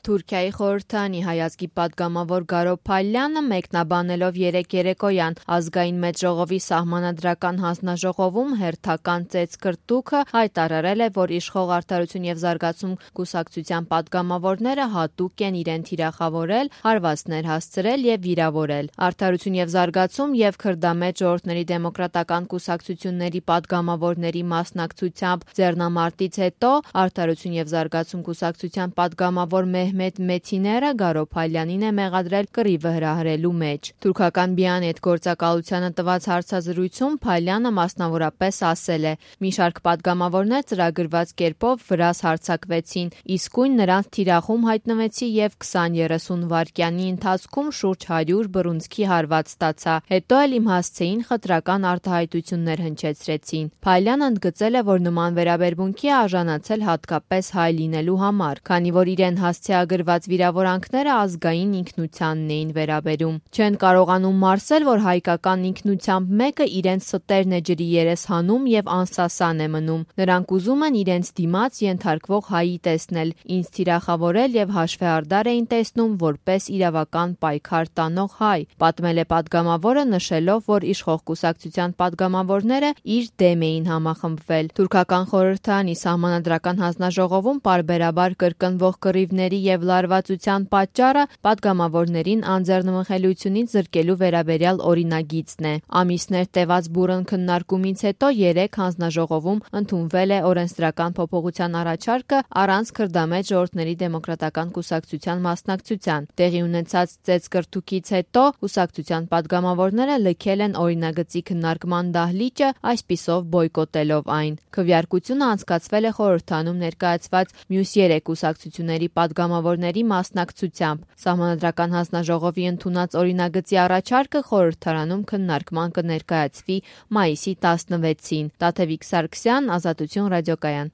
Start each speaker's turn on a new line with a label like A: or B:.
A: Թուրքիայի խորհրդարանի հայազգի պատգամավոր Գարո Փալյանը մեկնաբանելով երեկ երեկոյան ազգային մեծժողովի սահմանադրական հանձնաժողովում հերթական ծեծկռտուքը հայտարարել է, որ իշխող Արդարություն և զարգացում կուսակցության պատգամավորները հատուկ են իրեն թիրախավորել, հարվածներ հասցրել և վիրավորել։ Արդարություն և զարգացում և քրդամետ ժողովուրդների դեմոկրատական կուսակցությունների պատգամավորների մասնակցությամբ ձեռնամարտից հետո Արդարություն և զարգացում կուսակցության պատգամավոր Մեհմեդ Մեթիները Գարո Փալյանին է մեղադրել կռիվը հրահրելու մեջ։ Թուրքական Բիանետ գործակալությանը տված հարցազրույցում Փալյանը մասնավորապես ասել է. «Մի շարք պատգամավորներ ծրագրված կերպով վրաս հարձակվեցին, իսկույն նրանց թիրախում հայտնվեցի և 20-30 վայրկյանի ընթացքում շուրջ 100 բռունցքի հարված ստացա, հետո էլ իմ հասցեին խտրական արտահայտություններ հնչեցրեցին»։ Փալյանը ընդգծել է, որ նման վերաբերմունքի է արժանացել հատկապես հայ լինելու համար, քանի որ իրեն հասցեագրված վիրավորանքները ազգային ինքնությանն էին վերաբերում։ Չեն կարողանում մարսել, որ հայկական ինքնությամբ մեկը իրենց ստերն է ջրի երես հանում և անսասան է մնում։ Նրանք ուզում են իրենց դիմաց ենթարկվող հայի տեսնել, ինձ թիրախավորել և հաշվեհարդար էին տեսնում որպես իրավական պայքար տանող հայ, պատմել է պատգամավորը, նշելով, որ իշխող կուսակցության պատգամավորները իր դեմ էին համախմբվել։ Թուրքական խորհրդարանի սահմանադրական հանձնաժողովում պարբերաբար կրկնվող կռիվների և լարվածության պատճառը պատգամավորներին անձեռնմխելիությունից զրկելու վերաբերյալ օրինագիծն է։ Ամիսներ տևած բուռն քննարկումից հետո երեկ հանձնաժողովում ընդունվել է օրենսդրական փոփոխության առաջարկը առանց քրդամետ ժողովուրդների դեմոկրատական կուսակցության մասնակցության։ Տեղի ունեցած ծեծկռտուքից հետո կուսակցության պատգամավորները լքել են օրինագծի քննարկման դահլիճը, այսպիսով բոյկոտելով այն։ Քվեարկությունը անցկացվել է խորհրդարանում ներկայացված մյուս 3 կուսակցությունների պատգամավորների մասնակցությամբ։ Սահմանադրական հանձնաժողովի ընդունած օրինագծի առաջարկը խորհրդարանում քննարկման կներկայացվի մայիսի 16-ին։ Տաթևիկ Սարգսյան, Ազատություն ռադիոկայան։